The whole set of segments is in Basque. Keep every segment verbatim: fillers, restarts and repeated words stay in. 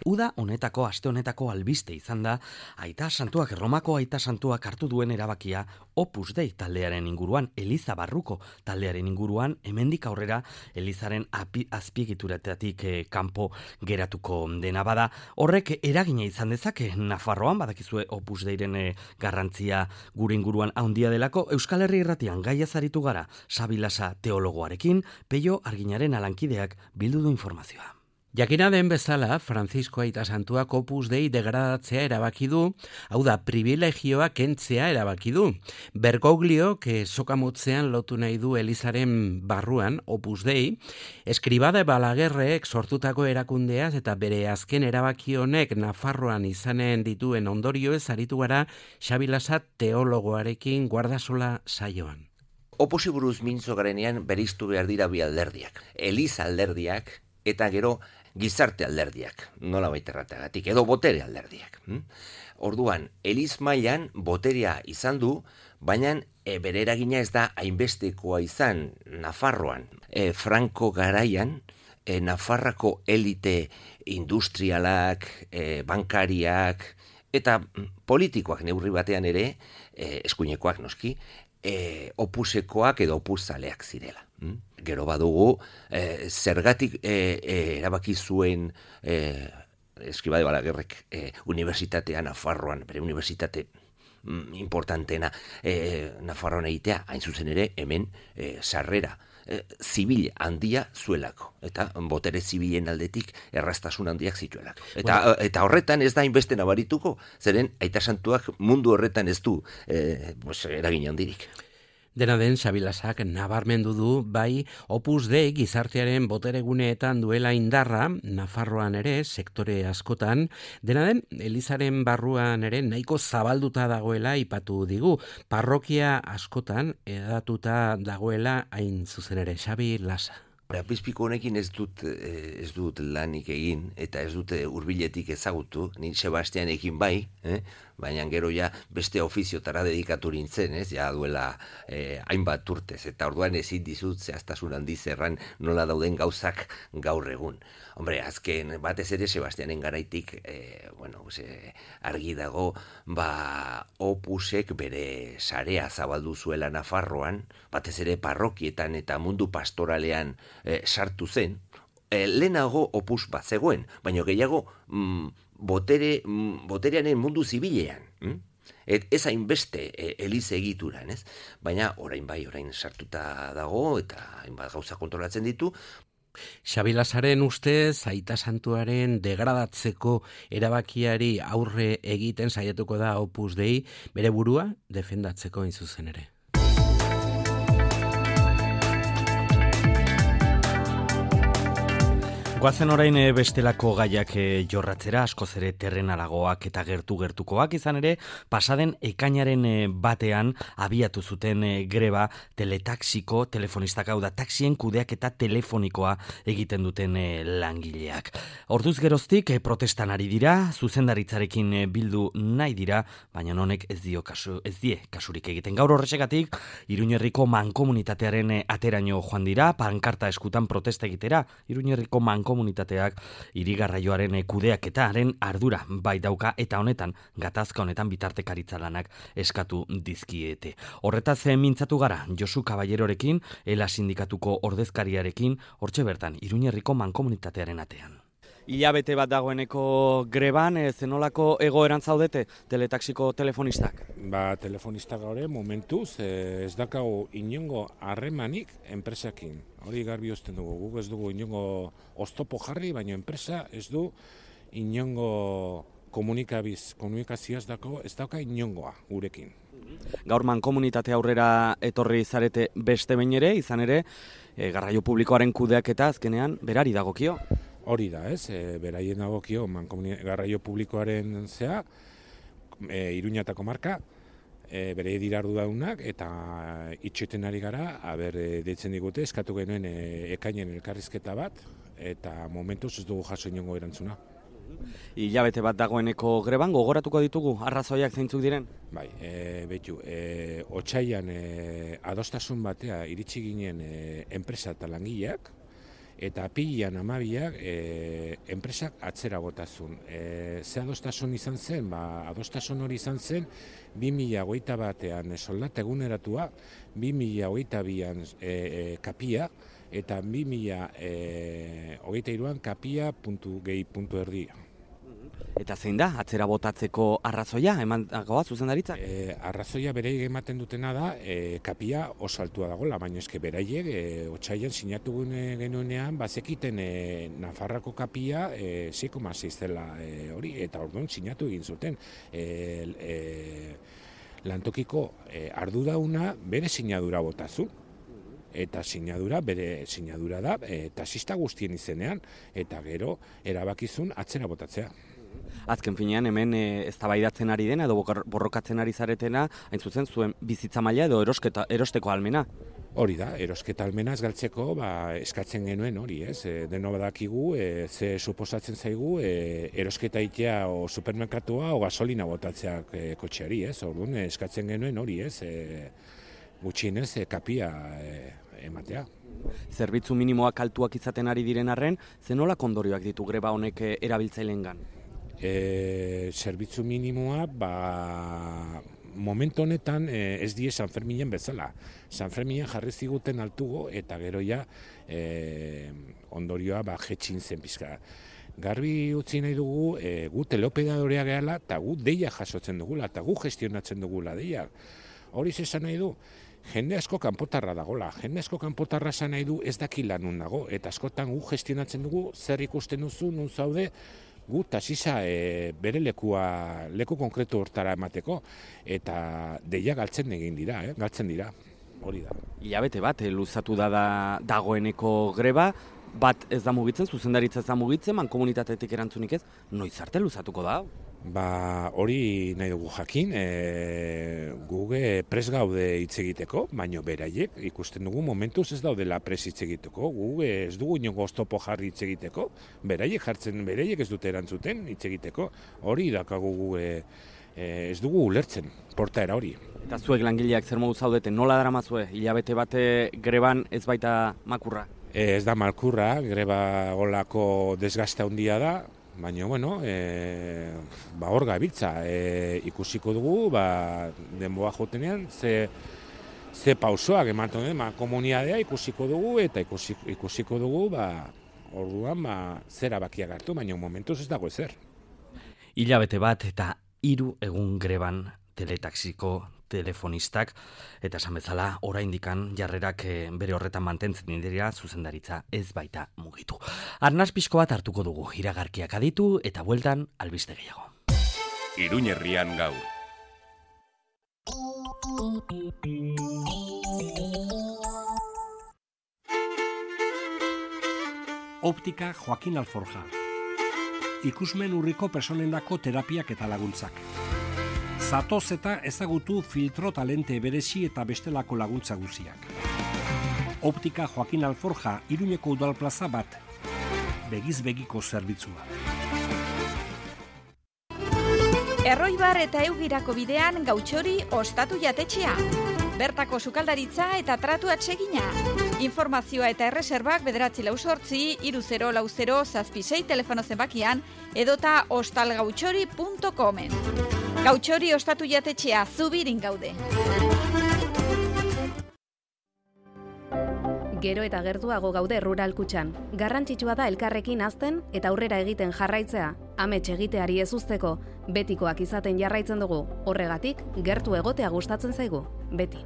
Uda honetako, aste honetako albiste izan da, Aita Santuak, Erromako Aita Santuak hartu duen erabakia Opus Dei taldearen inguruan, Eliza Barruko taldearen inguruan, hemendik aurrera Elizaren api, azpiegituratatik eh, kanpo geratuko dena bada. Horrek eragina izan dezake Nafarroan, badakizue Opus Deiren eh, garrantzia gure inguruan handia delako. Euskal Herri Irratian gaia zaritu gara Sabilasa teologoarekin, Peio Arginaren alankideak bildu du informazioa. Jakina den bezala, Francisco Aita Santuak Opus Dei degradatzea erabaki du, hau da, privilegioa kentzea erabaki du. Bergoglio, que sokamotzean lotu nahi du Elizaren barruan, Opus Dei, Eskribada Balaguerrek sortutako erakundeaz eta bere azken erabaki honek Nafarroan izanen dituen ondorioez aritu gara Sabilasa teologoarekin guardasola saioan. Opusi buruz mintzo garenean beriztu behar dira bi alderdiak. Eliza alderdiak eta gero gizarte alderdiak, nola baiterratagatik, edo botere alderdiak. Hm? Orduan, Eliz mailan boterea izan du, baina e, bere eragina ez da hainbestekoa izan Nafarroan. E, Franco garaian, e, Nafarrako elite industrialak, e, bankariak, eta politikoak neurri batean ere, e, eskuinekoak noski, e, opusekoak edo opuzaleak zirela. Hm? Gero badugu, eh, zergatik eh, eh, erabaki zuen eh, Eskribade Balaguerrek eh, unibertsitatea Nafarroan, bere unibertsitate mm, importantena eh, Nafarroan egitea, hain zuzen ere hemen eh, sarrera eh, zibil handia zuelako, eta botere zibilen aldetik erraztasun handiak zituelako. Eta, bueno, eta horretan ez da hainbeste nabarituko, zeren Aita Santuak mundu horretan ez du eh, pues, eragin handirik. Dena den, Sabilasak nabarmendu du, bai, Opus Dei gizartearen botereguneetan duela indarra, Nafarroan ere, sektore askotan, dena den, Elizaren barruan ere nahiko zabalduta dagoela ipatu digu, parrokia askotan edatuta dagoela hain zuzen ere, Sabilasa. Apizpiko honekin ez dut, ez dut lanik egin, eta ez dut hurbiletik ezagutu, ni Sebastianekin bai, eh? Baina gero ja beste ofiziotara dedikatu nintzen, ez? Ja duela eh, hainbat urtez, eta orduan ezin dizut zehaztasun handiz erran nola dauden gauzak gaur egun. Hombre, azken batez ere Sebastianen garaitik, eh, bueno, ze, argi dago, ba, Opusek bere sarea zabaldu zuela Nafarroan, batez ere parrokietan eta mundu pastoralean eh, sartu zen. Eh, lehenago Opus bat zegoen, baina gehiago mm, botere, mm, botereanen mundu zibilean. Hm? Et, ez hainbeste e, eliz egituran, ez? Baina orain bai, orain sartuta dago eta hainbat gauza kontrolatzen ditu. Sabilasaren ustez, Aita Santuaren degradatzeko erabakiari aurre egiten saiatuko da Opus Dei, bere burua defendatzeko hain zuzen ere. Goazen orain bestelako gaiak jorratzera, askoz ere terrenalagoak eta gertu-gertukoak, izan ere, pasaden ekainaren batean abiatu zuten greba teletaxiko telefonistak, hau da taxien kudeak eta telefonikoa egiten duten langileak. Orduz geroztik protestan ari dira, zuzendaritzarekin bildu nahi dira, baina honek ez dio kasu, ez die kasurik egiten. Gaur horrexegatik, Iruñerriko mankomunitatearen ateraino joan dira, pankarta eskutan protesta egitera, Iruñerriko mankomunitatearen komunitateak hirigarraioaren kudeaketaren ardura bai dauka eta honetan gatazka honetan bitartekaritza lanak eskatu dizkiete. Horretaz mintzatu gara Josu Caballerorekin, Ela sindikatuko ordezkariarekin, hortxe bertan Iruñerriko mankomunitatearen atean. Ilabete bat dagoeneko greban, zenolako egoeran zaudete teletaxiko telefonistak? Ba, telefonistak gaur momentuz ez dakago inongo harremanik enpresakin. Hori garbi uzten dugu, guk ez dugu inongo oztopo jarri, baina enpresa ez du inongo komunikabiz, komunikazioaz dako, ez dauka inongoa gurekin. Gaur mankomunitate aurrera etorri zarete beste behin ere, izan ere, e, garraio publikoaren kudeaketa azkenean berari dagokio. Hori da, ez, e, beraien dagokio garraio publikoaren zea, e, Iruñatako marka, e, bere dirardu daunak, eta itxoiten ari gara, aber, e, deitzen digute, eskatu genuen e, ekainen elkarrizketa bat, eta momentuz ez dugu jaso inongo erantzuna. Hilabete bat dagoeneko greban, gogoratuko ditugu, arrazoiak zeintzuk diren? Bai, e, betu, e, otsaian e, adostasun batea iritsi ginen e, enpresa eta langileak, eta apilean hamabiak e, enpresak atzera botazun. E, ze adostasun izan zen? Ba, adostasun hori izan zen bi mila hogeita batean soldata eguneratua, bi mila hogeita bian e, e, kapia, eta bi mila hogeita hiruan kapia puntu gehi puntu erdi. Eta zein da, atzera botatzeko arrazoia, eman dagoa zuzendaritzak? E, arrazoia beraiek ematen dutena da, e, kapia oso altua dagoela, baina eske beraiek e, otsailean sinatu genuenean, bazekiten e, Nafarrako kapia e, sei koma sei zela e, hori, eta orduan sinatu egin zuten. E, e, lantokiko e, ardurauna bere sinadura botazu. Eta sinadura, bere sinadura da, e, taxista guztien izenean, eta gero erabakizun atzera botatzea. Azken finean hemen e, eztabaidatzen ari dena edo borrokatzen ari zaretena, hain zuzen zuen bizitza maila edo erosketa, erosteko almena. Hori da, erosketa almena ez galtzeko ba, eskatzen genuen hori, ez? E, deno badakigu, e, ze suposatzen zaigu, e, erosketa itea o supermerkatua o gasolina botatzeak e, kotxeari, ez? Orduan eskatzen genuen hori, ez? E, gutxienez e, kapia e, ematea. Zerbitzu minimoak altuak izaten ari diren arren, zenolak ondorioak ditu greba honek erabiltzaileengan? E, zerbitzu minimoa, ba, momentu honetan e, ez die San Ferminen bezala. San Ferminen jarri ziguten altugo eta gero ja e, ondorioa ba, jetxin zen pizka. Garbi utzi nahi dugu, e, gu teleoperadorea gehala eta gu deia jasotzen dugula eta gu gestionatzen dugula deia. Hori zesan nahi du, jende asko kanpotarra dagola, jende asko kanpotarra esan nahi du ez dakila nun dago, eta askotan gu gestionatzen dugu zer ikusten duzu, nun zaude, gu taxisa e, bere lekua, leku konkretu hortara emateko, eta deia galtzen egin dira, eh? galtzen dira, hori da. Ilabete bat, eh, luzatu da, da dagoeneko greba, bat ez da mugitzen, zuzendaritza ez da mugitzen, mankomunitatetik erantzunik ez, noiz arte luzatuko da? Ba, hori nahi dugu jakin, e, guge pres gaude hitz egiteko, baino beraiek ikusten dugu momentuz ez daudela pres hitz egiteko, guge ez dugu inongo oztopo jarri hitz egiteko, beraiek jartzen, beraiek ez dute erantzuten hitz egiteko, hori dakagu guge e, ez dugu ulertzen, portaera hori. Eta zuek langileak zer modu zaudete, nola daramazue, hilabete bate greban ez baita makurra? E, ez da malkurra, greba golako desgaste handia da, baina, bueno, e, ba hor gabiltza, e, ikusiko dugu, ba, denboa jotenean, ze, ze pausoak ematen den, ba, komunitatea ikusiko dugu, eta ikusi, ikusiko dugu, ba, orduan, ba, zer abakiak hartu, baina momentuz ez dago ezer. Hilabete bat eta hiru egun greban teletaxiko telefonistak, eta esan bezala, oraindikan jarrerak bere horretan mantentzen dira zuzendaritza ez baita mugitu. Arnaz pixko bat hartuko dugu, iragarkiak aditu eta bueltan albiste gehiago. Iruñerrian gaur. Optika Joaquin Alforja. Ikusmen urriko personendako terapiak eta laguntzak. Zatoz eta ezagutu filtro talente berezi eta bestelako laguntza guziak. Optika Joaquin Alforja, Iruñeko udal plaza bat. Begiz begiko zerbitzua. Erroibar eta Eugirako bidean Gautxori ostatu jatetxea. Bertako sukaldaritza eta tratu atsegina. Informazioa eta erreserbak bederatzi lau sortzi, iru zero lau zero zazpi sei telefono zenbakian edota ostalgautxori puntu comen. Gautxori ostatu jatetxea, Zubirin gaude. Gero eta gertuago gaude Rural Kutxan. Garrantzitsua da elkarrekin hazten eta aurrera egiten jarraitzea. Amets egiteari ez uzteko, betikoak izaten jarraitzen dugu. Horregatik, gertu egotea gustatzen zaigu. Beti.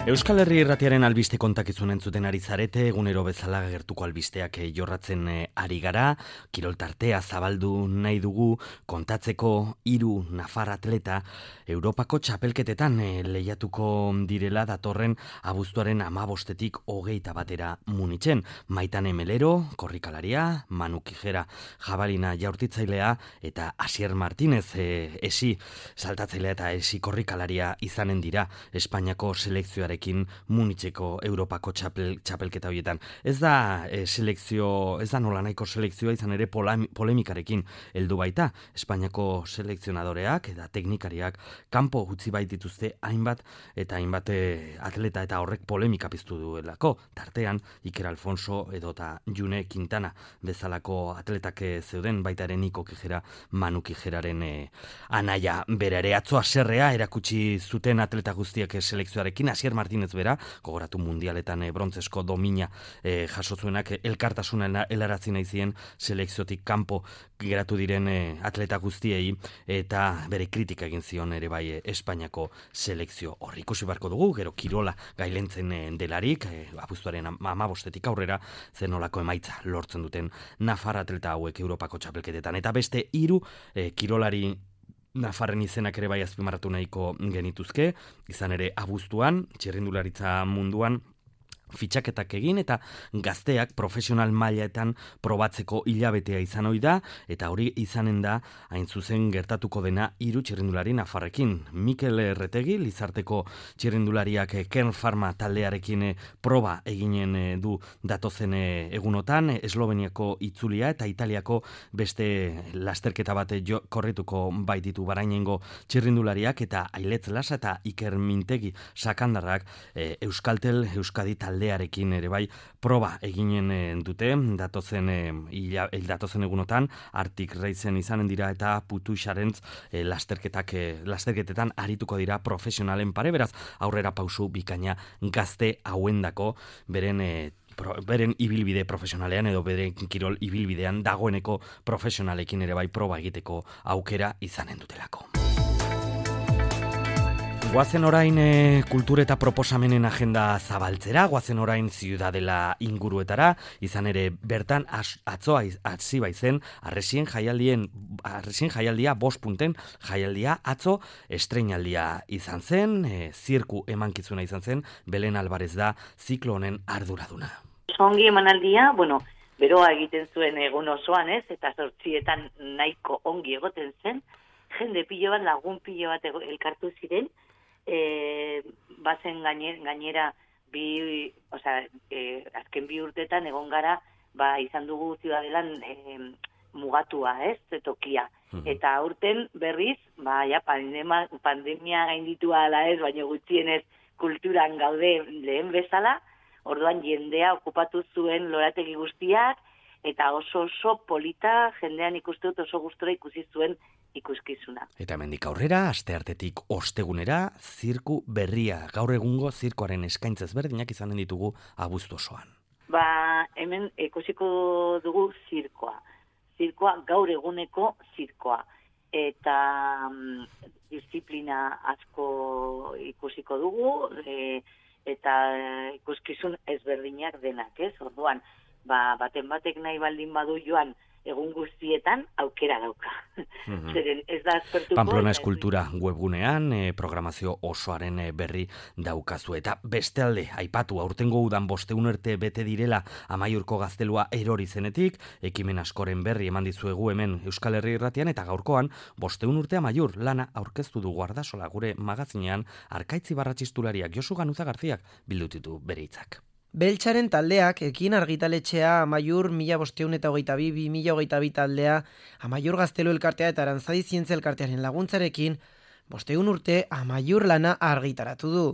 Euskal Herri Irratiaren albiste kontakizun entzuten ari zarete, egunero bezala gertuko albisteak jorratzen ari gara, kiroltartea zabaldu nahi dugu, kontatzeko hiru nafar atleta Europako txapelketetan lehiatuko direla datorren abuztuaren hamabostetik hogeita batera Munitzen. Maitane Melero, korrikalaria, Manu Kijera, jabalina jaurtitzailea eta Asier Martínez, e, esi saltatzailea eta esi korrikalaria izanen dira Espainiako selekzioaren Italiarekin Munitzeko Europako txapel, txapelketa horietan. Ez da e, selekzio, ez da nola nahiko selekzioa izan ere polemikarekin heldu baita. Espainiako selekzionadoreak eta teknikariak kanpo utzi baitituzte hainbat eta hainbat atleta eta horrek polemika piztu duelako. Tartean Iker Alfonso edota June Quintana bezalako atletak zeuden, baita ere Niko Kijera, Manu Kijeraren e, anaia bera ere. Atzo haserrea erakutsi zuten atleta guztiak selekzioarekin. Asier Martinez bera, gogoratu mundialetan e, brontzesko domina e, jaso zuenak, elkartasuna helarazi nahi zien selekziotik kanpo geratu diren e, atleta guztiei eta bere kritika egin zion ere bai e, Espainiako selekzio horri. Ikusi beharko dugu, gero kirola gailentzen e, delarik, e, abuztuaren hamabostetik aurrera zenolako emaitza lortzen duten Nafar atleta hauek Europako txapelketetan. Eta beste hiru e, kirolari Nafarren izenak ere bai azpimarratu nahiko genituzke, izan ere abuztuan, txirrindularitza munduan, fitxaketak egin eta gazteak profesional mailetan probatzeko hilabetea izan ohi da, eta hori izanen da hain zuzen gertatuko dena hiru txirrindulari nafarrekin. Mikel Erretegi, Lizarteko txirrindulariak Kern Pharma taldearekin proba eginen du datozen egunotan, Esloveniako itzulia eta Italiako beste lasterketa bat jo, korrituko baititu barainengo txirrindulariak, eta Ailetz Lasa eta Iker Mintegi sakandarrak e, Euskaltel Euskadi talde arekin ere bai proba eginen dute datozen e, ila, datozen egunotan. Arctic Racen izanen dira eta Putu Xarentz e, lasterketak e, lasterketetan arituko dira profesionalen pare, beraz aurrera pausu bikaina gazte hauendako beren e, Pro, beren ibilbide profesionalean edo beren kirol ibilbidean dagoeneko profesionalekin ere bai proba egiteko aukera izanen dutelako. Guazen orain e, kultur eta proposamenen agenda zabaltzera, guazen orain Ziudadela inguruetara, izan ere bertan az, atzoa atzi baizen arresien jaialdien, arresien jaialdia bost punten jaialdia atzo estreinaldia izan zen, e, zirku emankizuna izan zen, Belen Alvarez da ziklo honen arduraduna. Ongi emanaldia, bueno, beroa egiten zuen egun osoan, ez, eta zortzietan nahiko ongi egoten zen, jende pilo bat, lagun pilo bat elkartu ziren, E, bazen gainera, gainera bi, osea, e, azken bi urtetan egon gara, ba, izan dugu Ziudadelan e, mugatua, ez, tokia. Mm-hmm. Eta aurten berriz, ba, ja, pandemia, pandemia gainditua ala ez, baina gutxienez kulturan gaude lehen bezala, orduan jendea okupatu zuen lorategi guztiak, eta oso oso polita jendean ikuste dut oso gustora ikusi zuen ikuskizuna. Eta hemendik aurrera, asteartetik ostegunera, zirku berria, gaur egungo zirkoaren eskaintza ezberdinak izanen ditugu abuztu osoan. Ba, hemen ikusiko dugu zirkoa. Zirkoa gaur eguneko zirkoa. Eta um, disiplina asko ikusiko dugu, e, eta ikuskizun ezberdinak denak, ez? Orduan, ba, baten batek nahi baldin badu joan, egun guztietan aukera dauka. Mm-hmm. Zeren ez da aspertuko. Pamplona Eskultura webgunean e, programazio osoaren e, berri daukazu. Eta beste alde, aipatu aurtengo udan bosteun urte bete direla Amaiurko gaztelua erori zenetik, ekimen askoren berri eman dizuegu hemen Euskal Herri Irratian, eta gaurkoan bosteun urte Amaiur lana aurkeztu du Guardasola gure magazinean Arkaitz Ibarratxistulariak Josu Ganuza Garziak bildutitu bere hitzak. Beltxaren taldeak ekin argitaletxea Amaiur mila bosteun eta hogeita bi, bi mila hogeita bi taldea, Amaiur Gaztelu elkartea eta Arantzadi Zientzia elkartearen laguntzarekin, bosteun urte Amaiur lana argitaratu du.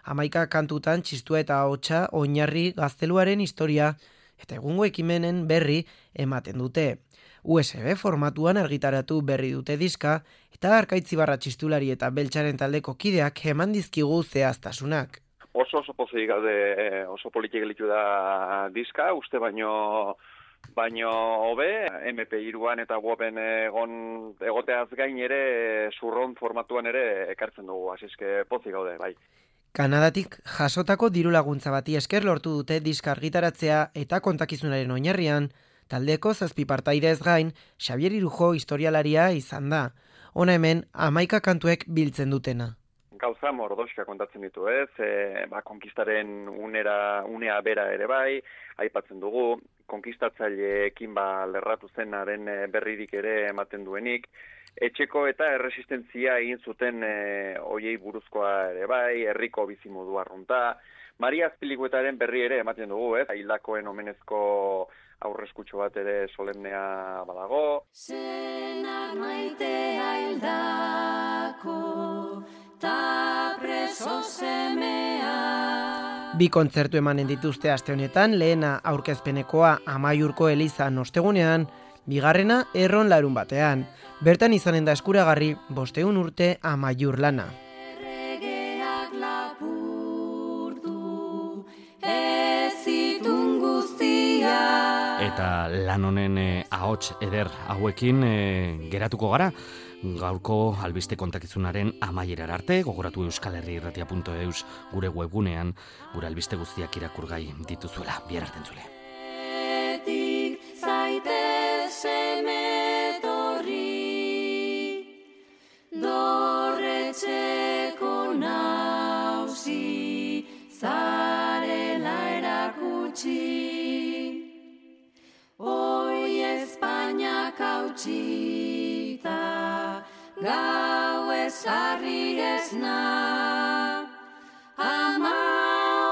Hamaika kantutan txistua eta ahotsa oinarri gazteluaren historia eta egungo ekimenen berri ematen dute. U S B formatuan argitaratu berri dute diska eta Arkaitz Ibarratxistulari eta Beltxaren taldeko kideak eman dizkigu zehaztasunak. Oso oso pozik gaude, oso politik elitu da diska, uste baino baino hobe, M P hiruan eta weben egon egoteaz gain ere zurron formatuan ere ekartzen dugu, hasi eske pozik gaude, bai. Kanadatik jasotako diru laguntza bati esker lortu dute diska argitaratzea eta kontakizunaren oinarrian, taldeko zazpi partaidez gain, Xabier Irujo historialaria izan da. Hona hemen, hamaika kantuek biltzen dutena. Gauza mordoxka kontatzen ditu, ez? E, ba, konkistaren unera, unea bera ere bai, aipatzen dugu, konkistatzaileekin ba lerratu zenaren berririk ere ematen duenik, etxeko eta erresistentzia egin zuten e, oiei buruzkoa ere bai, herriko bizimodu arrunta. Maria Azpilikuetaren berri ere ematen dugu, ez? Hildakoen omenezko aurreskutxo bat ere solemnea badago. Senar maitea hildako, ta preso semea. Bi kontzertu emanen dituzte aste honetan, lehena aurkezpenekoa Amaiurko elizan ostegunean, bigarrena erron larun batean. Bertan izanen da eskuragarri bosteun urte Amaiur lana. Erregeak lapurtu, ezitun guztia. Eta lan honen eh, ahots eder hauekin eh, geratuko gara. Gaurko albiste kontakizunaren amaierar arte, gogoratu euskal herri irratia puntu eus gure webgunean, gure albiste guztiak irakurgai dituzuela. Bihar arte entzule. Etik zaitez semetorri, dorretxeko nausi, zarela erakutsi. Hoi Espainiak hautsita, gau ezarri esna, ama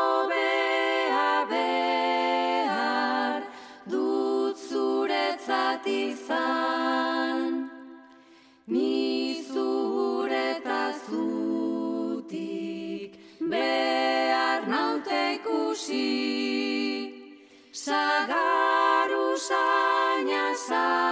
hobea behar, dut zuretzat izan, ni zureta zutik, behar naute ikusi, sagar usaina sa.